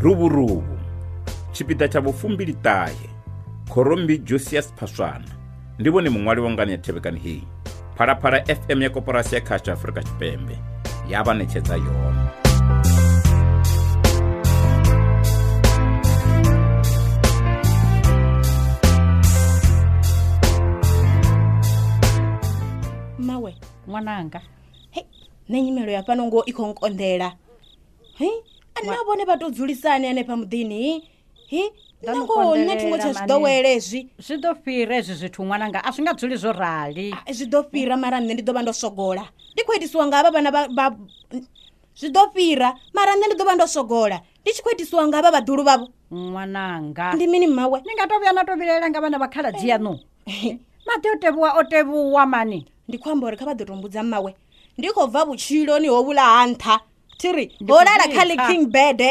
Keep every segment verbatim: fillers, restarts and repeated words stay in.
Luvhuruvhu tshipiḓa tsha vhufumbiliṱahe Khorombi Josias Phaswana ndi vhone muṅwali wa ngani ya thevhekani heyi. Phalaphala F M ya Koporasi ya Khasho Afrika Tshipembe ya vha ṋetshedza yone. Mawe ṅwananga, hei nṋe nyimelo ya fhano ngo i khou nkonḓela. Hei ana vhone vha to dzulisani hanefha muḓini? Hi nṋe ngoho nṋe thingo tsha zwi ḓowele hezwi. Zwi ḓo fhira hezwi zwithu ṅwananga, a zwi nga dzuli zwo rali. Zwi ḓo fhira mara nṋe ndi ḓo vha ndo sogola. Ndi khou itisiwa nga havha vhana vha zwi ḓo fhira mara nṋe ndi ḓo vha ndo sogola. Ndi tshi khou itisiwa nga havha vhaḓulu vhavho. Ṅwananga, ndi mini mmawe? Ni nga to vhuya na to vhilaela nga vhana vha khaladzi yaṋu. Maḓi o tevhuwa o tevhuwa mani. Ndi khou amba uri kha vha ḓo to mbudza mmawe. Ndi khou bva vhutshiloni ho vhula ha nṱha. Thiri ho lala kha ḽi king bed.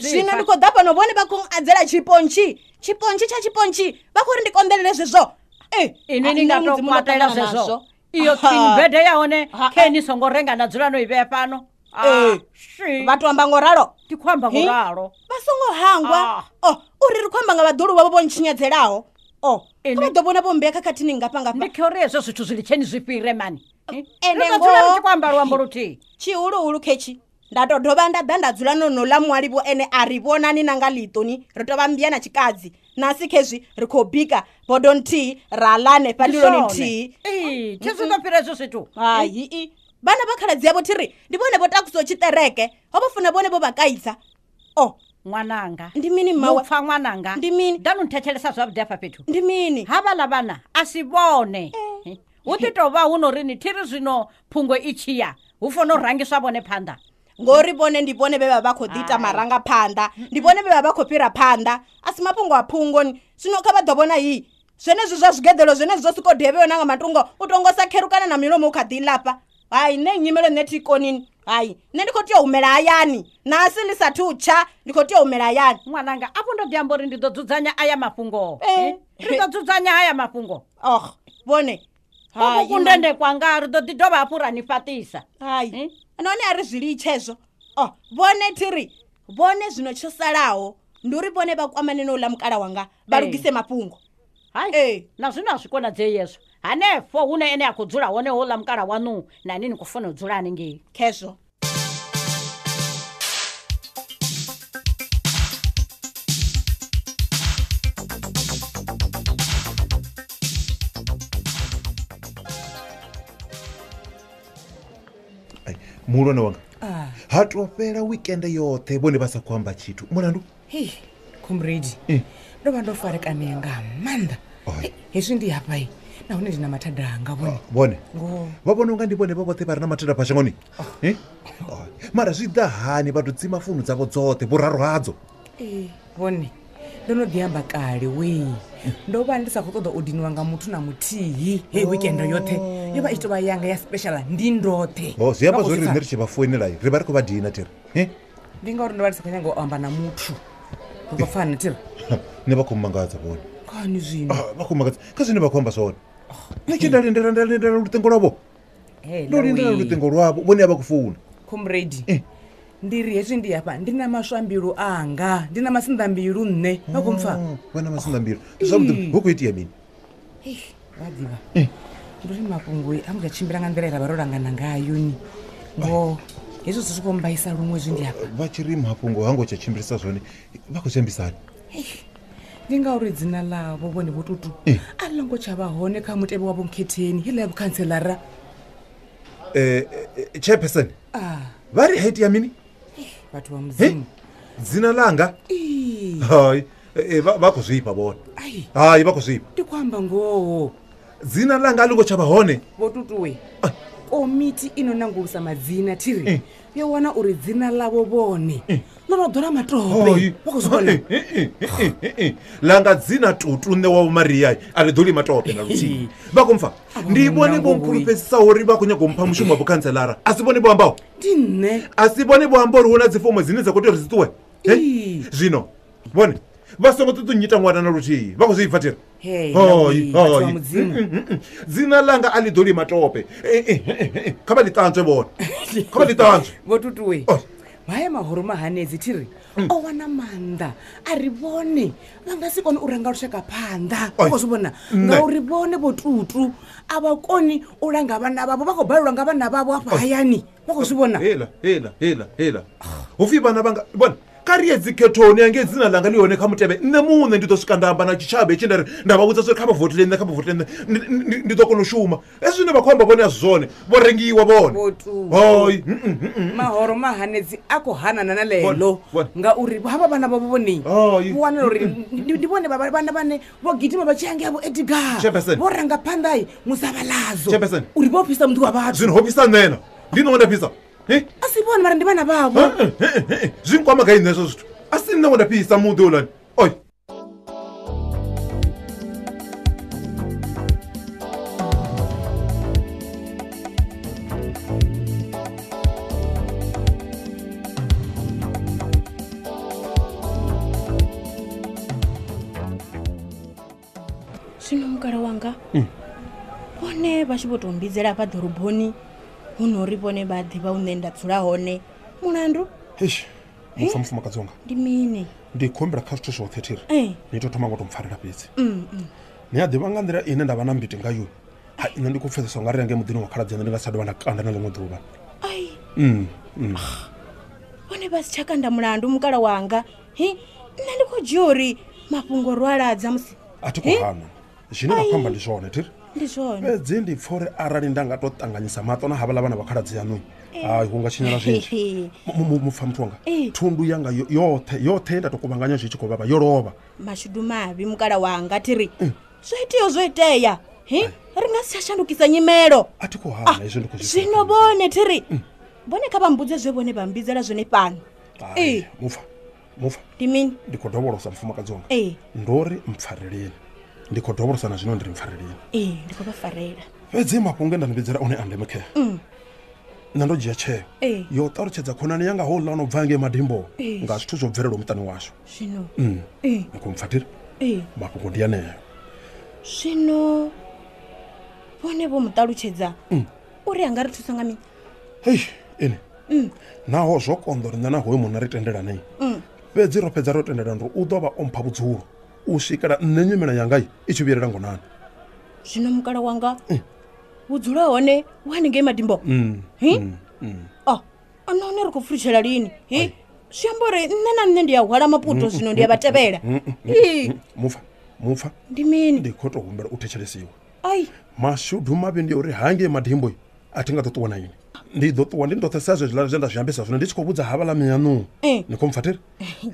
Zwino ndi khou ḓa fhano vhone vha khou adzela tshipontshi. Tshipontshi tsha tshipontshi vha khou ri ndi konḓelele zwezwo. Eh, inwi ni nga to kwatela zwezwo. Iyo king bed ya hone khe ni songo renga na dzula no i vhea fhano. Eh, vha to amba ngo ralo. Ndi khou amba ngo ralo. Vha songo hangwa. Oh, uri ri khou amba nga vhaḓulu vhavho vho ntshinyadzelaho. Oh, vha ḓo vhona vho mbea khakhathini ngafha ngafha. Ndi khou ri hezwo zwithu zwi litsheni zwi fhire mani. Ende ngo ngoho ri tshi khou amba luambo luthihi. Tshihuluhulu khetshi. Nda to dovha nda ḓa nda dzula no no ḽa muhali vho ene a ri vhonani na nga ḽiṱoni ri tovha mbia na tshikadzi. Nasi khezwi ri khou bika bodo nthihi ra ḽa hanefha ndiloni nthihi. Ee, thi zwi ḓo fhira hezwo zwithu. Hai i vhana vha khaladzi yavho thiri ndi vhone vho takusaho tshiṱereke ho vho funa vhone vho vha kaidza. Oh, ṅwananga, ndi mini mmawe? Mupfa ṅwananga, ndi mini? Ḓa no nthetshelesa zwavhuḓi hafha fhethu. Ndi mini? Havhaḽa vhana a si vhone. Hu ḓi tou vha hu no ri ni thiri zwino phungo i tshi ya hu fanela u rangiswa vhone phanḓa. Ngori vhone ndi vhone vhe vha vha khou ḓi ita marangaphanḓa, ndi vhone vhe vha vha khou fhira phanḓa. A si mafhungo a phungoni. Zwino kha vha ḓo vhona hi zwenezwi zwa zwigeḓelo zwenezwi zwo siko devhewa na nga matungo u tongo sa kherukana na milomo u kha ḓi lafha. Hai nṋe nyimelo nṋe thi konini. Hai nṋe ndi khou tea u humela hayani nasi ḽi sathu tsha ndi khou tea u humela hayani. Ṅwananga, afho ndo ḓi amba uri ndi ḓo dzudzanya aya mafhungo. Ri ḓo dzudzanya haya mafhungo. Oh, vhone hai kundende kwanga ri ḓo ḓi dovha hafhu ra ni fhaṱisa. Hai nahone a ri zwi litshe hezwo. Oh, vhone thiri vhone zwino tsho salaho ndi uri vhone vha kwamane no ḽa mukala wanga vha lugise mafhungo. Hai eh na zwino a zwi konadzei hezwo. Hanefho hune ene a khou dzula hone ho ḽa mukala waṋu na ni ni khou fanela u dzula hanengei. Khezwo. Muhulwane wanga, ha to fhela weekend yoṱhe vhone vha sa khou amba tshithu. Mulandu? Hei, comrade, ndo vha ndo farekanea nga maanḓa. Hezwi ndi hafha nahone ndi na mathada anga vhone. Vhone vha vhona unga ndi vhone vha vhoṱhe vha re na mathada fha shangoni. Mara zwi ḓa hani vha to dzima founu dzavho dzoṱhe vhuraru hadzo? Ee, vhone ndo no ḓi amba kale wee. Ndo vha ndi sa khou ṱoḓa u diniwa nga muthu na muthihi. Hei weekend yoṱhe yo vha i tshi tou vha yanga ya special ndi ndoṱhe. Oh, zwi amba zwori riṋe ri tshi vha founela ri vha ri khou vha dina thiri. Ndi ngauri ndo vha ndi sa khou nyanga u amba na muthu. Ri khou pfana thiri. Nṋe vha khou mangadza vhone. Kani zwino? Vha khou mangadza kha zwine vha khou amba zwone. Nṋe tshi nda lindela nda lindela luṱingo lwavho. Ndo lindela luṱingo lwavho vhone a vha khou founa. Comrade, ndi ri hezwi ndi hafha ndi na maswambilu anga, ndi na masinḓambilu nṋe. Vha khou mpfa? Vha na masinḓambilu. Zwavhuḓi hu khou itea mini? Vha ḓivha. Ndi uri mafhungo a nga tshimbila nga nḓila ye ra vha ro langana ngayo ni. Ngoho hezwo zwithu zwi khou mbaisa luṅwe hezwi ndi hafha. Vha tshi ri mafhungo ha ngo tsha tshimbilisa zwone vha khou zwi ambisani? Ndi ngauri dzina ḽavho vhone Vho Tutu a ḽo ngo tsha vha hone kha mutevhe wa vhonkhetheni heiḽa ya vhukhantselara. Eh, chairperson, vha ri ha itea mini? Vhathu vha Mudzimu. Dzina ḽanga? Hai, vha khou zwifha vhone. Hai, vha khou zwifha. Ndi khou amba ngoho. Dzina ḽanga a ḽi ngo tsha vha hone. Vho Tutuwe, komiti ino nangulusa madzina thiri yo wana uri dzina ḽavho vhone ḽo no ḓola matope. Vha khou zwi vhona? Ḽanga dzina Tutu nṋe wa Vho Maria a ḽi ḓoli matope na luthihi. Vha khou mpfa? Ndi vhone vho mpfulufhedzisaho uri vha khou nyaga u mpha mushumo wa vhukhantselara. A si vhone vho ambaho? Ndi nṋe. A si vhone vho amba uri hu na dzifomo dzine dza khou tea uri dzi ṱuwe? Zwino vhone vha songo ṱoḓa u nnyita ṅwana na luthihi. Vha khou zwi pfa thiri? Hey, Hoi, vhathu vha hoi. Mudzimu. Dzina ḽanga a ḽi ḓoli matope. Kha vha ḽi ṱanzwe vhone. Kha vha ḽi ṱanzwe. Vho Tutuwe, Haya mahoro mahanedzi thiri o wana maanḓa a ri vhone vha nga si kone u ranga lushaka phanḓa. Oi. U khou zwi vhona Nṋe. ngauri vhone vho Tutu a vha koni u langa vhana vhavho, vha khou balelwa nga vhana vhavho afha hayani. Vha khou zwi vhona. Hela hela hela hela hupfi vhana vhanga vhona kha ri ye dzikhethoni ange dzina langa ḽi hone kha mutevhe. Nṋe muṋe ndi ḓo swika nda amba na tshitshavha hetshi nda ri nda vha vhudza uri kha vha votele nṋe, kha vha votele nṋe, ndi- ndi ndi ḓo kona u shuma. Hezwi zwine vha khou amba vhone a si zwone, vho rengiwa vhone. Vho Tutu. Hoi, mm, mm, mm, mm. Mahoro mahanedzi a khou hanana na Vhone, ḽeḽo vhone. ngauri havha vhana vhavho vhone Hai. vho wanala uri ndi ndi vhone vha- vhana vhane vho gidima vha tshi hangei vho Edgar Chairperson. vho ranga phanḓa musavhaladzo Chairperson. uri vho fhisa muḓi wa vhathu. Zwino ho fhisa nṋe na ndi nṋe wo nda fhisa. He? A si vhone mara ndi vhana vhavho. Eh, eh, eh, eh, zwi nkwama gai nṋe hezwo zwithu? A si nṋe wo nda fhisa muḓi houḽani. Oi. Zwino mukala wanga vhone vha tshi vho tou mbidzela hafha ḓoroboni hu no uri vhone vha ḓivha hune nda dzula hone mulandu Eish, mupfa mufumakadzi wanga ndi mini? ndi khombela kha zwithu zwoṱhe thiri Eh. ni tou thoma ngo tou mpfarela fhedzi. Ni a ḓivha nga nḓila ine nda vha na mbiti ngayo, ha nṋe ndi khou pfesesa u nga ri ange muḓini wa khaladzi ane ndi nga sa dovha nda kanda na ḽiṅwe ḓuvha. Ai, Mm, mm. vhone vha si tsha kanda mulandu mukala wanga. Hi, nṋe ndi khou dzhia uri mafhungo ro aladza musi. A thi khou hana zwine vha khou amba ndi zwone thiri, Ndi zwone. fhedzi ndi pfha uri arali nda nga tou ṱanganyisa maṱo na havhaḽa vhana vha khaladzi yaṋu, hai hu nga tshinyala zwinzhi. Mu- mu- mupfa muthu wanga, Eh. thundu yanga yo- yoṱhe yoṱhe ye nda tou kuvhanganya zwi tshi khou vhavha yo lovha. Mashudu mavhi mukala wanga thiri, zwo iteaho zwo itea. Hi, ri nga si tsha shandukisa nyimelo. A thi khou hana hezwi ndi khou zwi Zwino vhone thiri vhone kha vha mbudze zwe vhone vha mbidzela zwone fhano. Hai, Eh. mupfa mupfa Ndi mini? ndi khou dovholosa mufumakadzi wanga. Eh. Ndo ri mpfareleni, ndi khou dovholosa na zwino ndi ri mpfareleni. Ee, ndi khou vha farela. Fhedzi mafhungo e nda ni vhidzela one a ndeme khea, nṋe ndo dzhia tsheo Eh. yo ṱalutshedza khonani yanga houḽa no bva ngei madimbo Eh. nga zwithu zwo bvelelaho muṱani washu. Zwino Mm. Eh. Ni khou mpfa thiri? Ee. Mafhungo ndi aneo. Zwino vhone vho mu ṱalutshedza uri a nga ri thusa nga mini? Hei ene, naho zwo konḓa uri nṋe na hoyo munna ri tendelanei, fhedzi ro fhedza ro tendelana uri u ḓo vha o mpha vhudzulo u swikela nṋe nyimelo yanga i tshi vhuyelela ngonani. Zwino mukala wanga vhudzulo hone hu haningei madimbo. Hi, o nahone ri khou pfulutshela lini? Hi, zwi amba uri nṋe na nṋe ndi ya hwala maputo zwino ndi ya vha tevhela. Ii, Mupfa mupfa ndi mini? Ndi khou tou humbela u thetshelesiwa. Ai, Mashudu mavhi ndi uri hangei madimbo a thi nga ḓo ṱuwa na ini, ndi ḓo ṱuwa ndi ndoṱhe sa zwezwiḽa zwe nda zwi ambisa zwino ndi tshi khou vhudza havhaḽa miyaṋu. Eh. Ni khou mpfa thiri?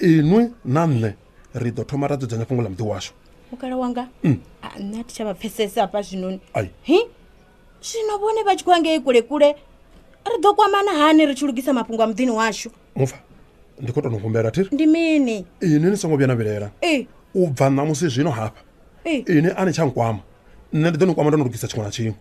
Inwi na nṋe ri ḓo thoma ra dzudzanya fhungo ḽa muḓi washu. Mukala wanga a nṋe a thi tsha vha pfesesa hafha zwinoni. Ai. Hi, zwino vhone vha tshi khou angei kule kule ri ḓo kwamana hani ri tshi lugisa mafhungo a muḓini washu? Mupfa ndi khou tou no humbela thiri, Ndi mini? inwi ni songo vhuya na vhilaela. Ee. U bva ṋamusi zwino hafha Ee. ini a ni tsha nkwama, nṋe ndi ḓo ni kwama ndo no lugisa tshiṅwe na tshiṅwe.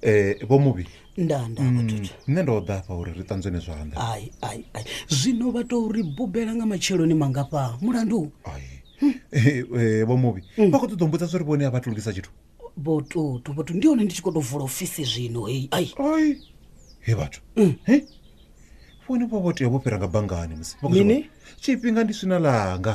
Eh vho Muvhi, Nda nda vhathu. nṋe ndo ḓa afha uri ri ṱanzwene zwanḓa. Ai ai ai, zwino vha tou ri bubela nga matsheloni mangafha mulandu? Ai. Eh, eh, vho Muvhi, vha khou ṱoḓa u mbudza uri vhone a vha thu lugisa tshithu. Vho Tutu, vho Tutu, ndi hone ndi tshi khou tou vula ofisi zwino hei. Ai. Ai. He vhathu. He? Vhone vho vho tea vho fhira nga banngani musi. Vha khou zwi Mini? vhona? Tshifhinga ndi swina ḽanga.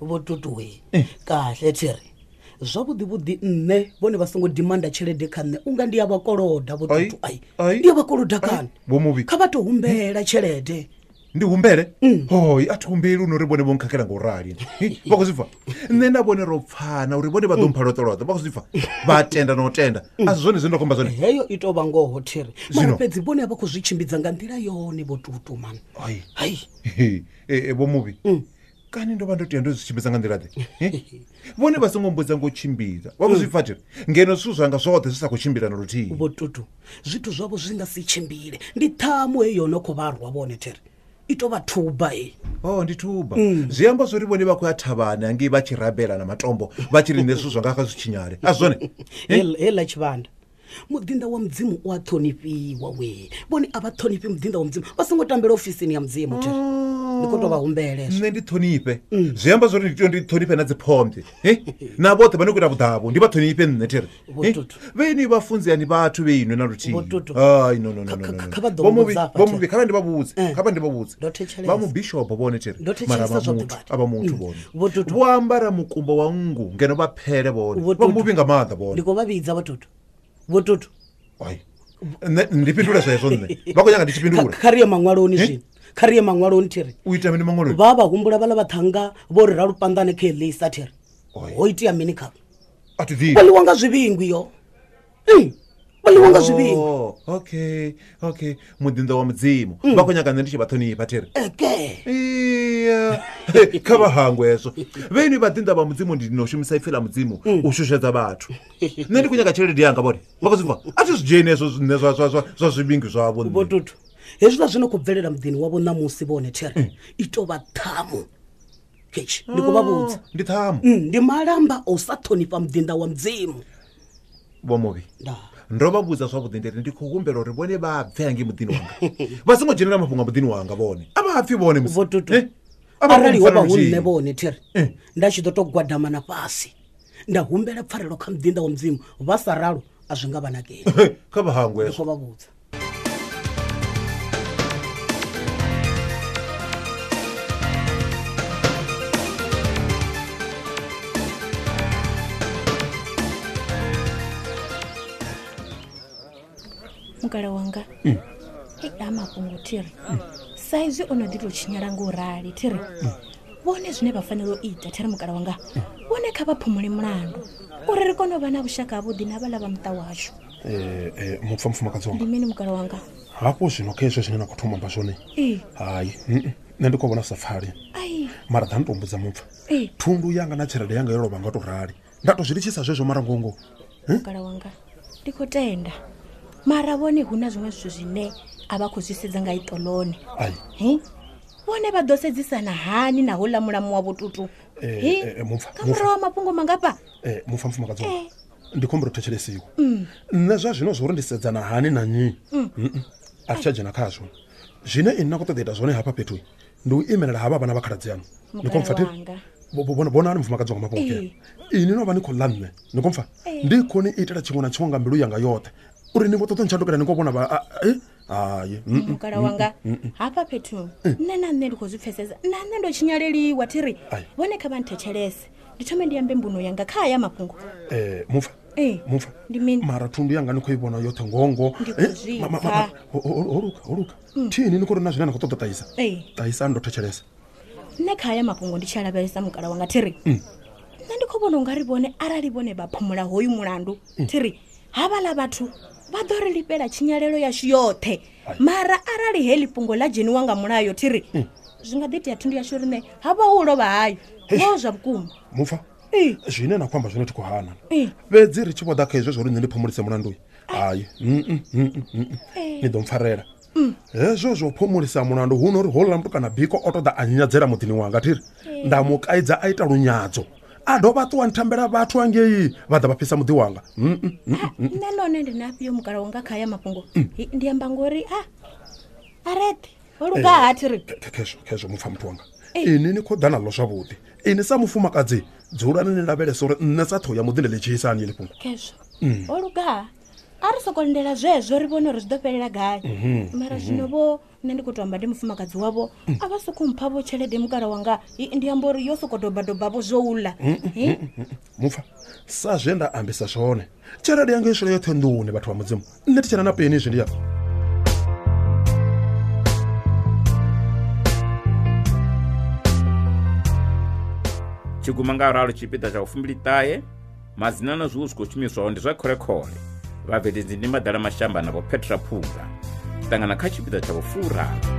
Vho Tutu we, kahle thiri zwavhuḓi vhuḓi nṋe vhone vha songo dimanda tshelede kha nṋe unga ndi ya vha koloda. Vho Ai, Tutu, ai ai. ndi ya vha koloda kani? Vho Muvhi. Kha vha tou humbela tshelede. Ndi humbele? Hoi, a thi humbeli uri vhone vho nkhakhela ngo rali. He, vha khou zwi pfa? Nṋe na vhone ro pfana uri vhone vha ḓo mpha loṱo loṱo. Vha khou zwi pfa? Vha tenda na u tenda. A si zwone zwine nda khou amba zwone. Heyo i tou vha ngoho thiri, mara Zwino? fhedzi vhone a vha khou zwi tshimbidza nga nḓila yone. Vho Tutu mani. Ai. Hai. He, eh, vho Muvhi, kani ndo vha ndo tea ndo zwi tshimbidza nga nḓila ḓe? He? Vhone vha songo mbudza ngo tshimbidza. Vha khou zwi pfa thiri ngeno zwithu zwanga zwoṱhe zwi sa khou tshimbila na luthihi. Vho Tutu, zwithu zwavho zwi nga si tshimbile, ndi ṱhamu heyi yo no khou vha rwa vhone thiri, i tou vha thuba hei. O ndi thuba. Zwi amba zwori vhone vha khou ya thavhani hangei vha tshi rabela na matombo vha tshi ri nṋe zwithu zwanga kha zwi tshinyale. A si zwone? Heiḽa tshivhanda Muḓinḓa wa Mudzimu u a ṱhonifhiwa we. Vhone a vha ṱhonifhi muḓinḓa wa Mudzimu. Vha songo tambela ofisini ya Mudzimu thiri. Ndi khou tou vha humbela hezwo. Nṋe ndi ṱhonifhe. Zwi amba zwori ndi tea ndi ṱhonifhe na dziphombwe. Eh? Na vhoṱhe vha no khou ita vhuḓavho ndi vha ṱhonifhe nṋe thiri. Vheni vhafunzi ani vhathu vhe inwe na luthihi. Hai no no no no. Kha vha ḓo mbudza afha. Vho Muvhi kha vha ndi vha vhudze. Kha vha ndi vha vhudze. Vha mu bishop vhone thiri. Mara vha muthu avha muthu vhone. Vho ambara mukumba wa nngu ngeno vha phele vhone. Vha Muvhi nga maanḓa vhone. Ndi khou vha vhidza Vho Tutu. Vho Tutu. Hai. Nṋe ndi fhindula zwezwo nṋe. Vha khou nyanga ndi tshi fhindula. Kha ri ye maṅwaloni zwino. Kha ri ye maṅwaloni thiri. U ita mini maṅwaloni? Vha vha humbula vhaḽa vhaṱhannga vho ri Ralupanḓane kha Elisa thiri. Ho itea mini khavho? A thi ḓivhi. Vho ḽiwa nga zwivhingwi yo. Mm. Vho ḽiwa nga zwivhingwi. Oh, okay, okay. Muḓinḓa wa Mudzimu. Vha khou nyanga nṋe ndi tshi vha ṱhonifha thiri. Eke. Iya. Kha vha hangwe hezwo. Vheni vhaḓinḓa vha Mudzimu ndi no shumisa ipfi ḽa Mudzimu u shushedza vhathu. Nṋe ndi khou nyanga tshelede yanga vhone. Vha khou zwi pfa? A thi zwi dzheni hezwo zwine zwa zwa zwa zwa zwivhingwi zwavho nṋe. Vho Tutu. Hezwiḽa zwino khou bvelela muḓini wavho ṋamusi vhone thiri. I tou vha ṱhamu. Ketshi, ndi khou vha vhudza. Ndi ṱhamu. Ndi malamba o sa ṱhonifha muḓinḓa wa Mudzimu. Vho Muvhi. Nda. Ndo vha vhudza zwavhuḓi ndi ri ndi khou humbela uri vhone vha bve hangi muḓini wanga. Vha songo dzhenela mafhungo a muḓini wanga vhone. A vha pfi vhone musi. Vho Tutu. Arali ho vha hu nṋe vhone thiri, nda tshi ḓo tou gwadama na fhasi. Nda humbela pfarelo kha muḓinḓa wa Mudzimu, vha sa ralo a zwi nga vha nakeli. Kha vha hangwe. Ndi khou vha vhudza. Mukala wanga. Hei a mafhungo thiri. Sa izwi o no ḓi tou tshinyala ngo rali thiri. Vhone zwine vha fanela u ita thiri mukala wanga. Vhone kha vha phumule mulandu uri ri kone u vha na vhushaka havhuḓi na vhaḽa vha muṱa washu. Eh eh mupfa mufumakadzi wanga. Ndi mini mukala wanga? Hafho zwino kha hezwo zwine na khou thoma amba zwone. Ee. Hai. Nṋe ndi khou vhona sa pfali. Ai. Mara ḓa ndo mbudza mupfa. Ee. Thundu yanga na tshelede yanga yo lovha nga to rali. Nda to zwi litshisa zwezwo mara ngongo. Mukala wanga. Ndi khou tenda. Mara vhone hu na zwiṅwe zwithu zwine a vha khou zwi sedza nga iṱo ḽone. Ai. Hi? Vhone vha ḓo sedzisana hani na houḽa mulamu wa Vho Tutu? Eh eh mupfa. Kha murahu ha mafhungo mangafha? Eh mupfa mufumakadzi wanga. Ndi khou humbela u thetshelesiwa. Nṋe zwa zwino zwo uri ndi sedzana hani na nnyi. A thi tsha dzhena khazwo. Zwine ini na khou ṱoḓa ita zwone hafha fhethu ndi u imelela havha vhana vha khaladzi yanu. Ni khou mpfa thiri? Vhonani mufumakadzi wanga mafhungo kea. Ini no vha ni khou ḽa nṋe. Ni khou mpfa? Ndi khou ni itela tshiṅwe na tshiṅwe nga mbilu yanga yoṱhe. Uri ni vho ṱoḓa ntshandukela ni khou vhona vha eh hayi. Mukala wanga hafha fhethu nṋe na nṋe ndi khou zwi pfesesa. Na nṋe ndo tshinyaleliwa thiri. Vhone kha vha nthetshelese. Ndi thome ndi ambe mbuno yanga kha haya mafhungo. Eh mupfa. Eh. Mupfa. Ndi mini? Mara thundu yanga ni khou i vhona yoṱhe ngongo. Eh holuka holuka. Thini ni khou ri na zwine na khou ṱoḓa ṱahisa. Ṱahisa ndo thetshelesa. Nṋe kha haya mafhungo ndi tshi lavhelesa mukala wanga thiri. Nṋe ndi khou vhona ungari vhone arali vhone vha phumula hoyu mulandu thiri havhaḽa vhathu vha ḓo ri lifhela tshinyalelo yashu yoṱhe. Mara arali heḽi fhungo ḽa dzheniwa nga mulayo thiri zwi nga ḓi itea thundu yashu riṋe ha vha hu lovha hayo. Ngoho zwa vhukuma. Mupfa. Zwine na khou amba zwone thi khou hana. Fhedzi ri tshi vho ḓa kha hezwo zwo uri nṋe ndi phumulise mulandu. Hai. Ni ḓo mpfarela. Hezwo zwo phumulisa mulandu hu no uri houḽa muthu kana biko o ṱoḓa a nyadzela muḓini wanga thiri. Nda mu kaidza a ita lunyadzo. A dovha ṱuwa nthambela vhathu angei vha ḓa vha fhisa muḓi wanga. Nṋe none ndi nafhio mukala wanga kha haya mafhungo. Ndi amba ngori a areṱhe ho luga ha thiri. Khezwo khezwo mupfa muthu wanga. Ini ni khou ḓa naḽo zwavhuḓi. Ini sa mufumakadzi dzulani ni lavhelesa uri nṋe sa ṱhoho ya muḓi ndi ḽi dzhiisa hani heḽi fhungo. Khezwo. Ho luga. A ri soko lindela zwezwo ri vhone uri zwi ḓo fhelela gai. Mara zwino vho nṋe ndi khou tou amba ndi mufumakadzi wavho a vha sokou mpha vho tshelede mukala wanga. Ndi amba uri yo sokou dobadoba vho zwo uḽa. Mupfa sa zwe nda ambisa zwone tshelede yanga i swela yoṱhe nḓuni vhathu vha Mudzimu. Nṋe thi tshena na peni izwi ndi ya. Tshiguma nga ralo tshipiḓa tsha vhufumbili-ṱahe madzina na zwiwo zwi khou shumiswaho ndi zwa kholekhole. Vhabveledzi ndi Maḓala Mashamba na Vho Petra Phunga. Ṱangana kha tshipiḓa tsha vhufuraru.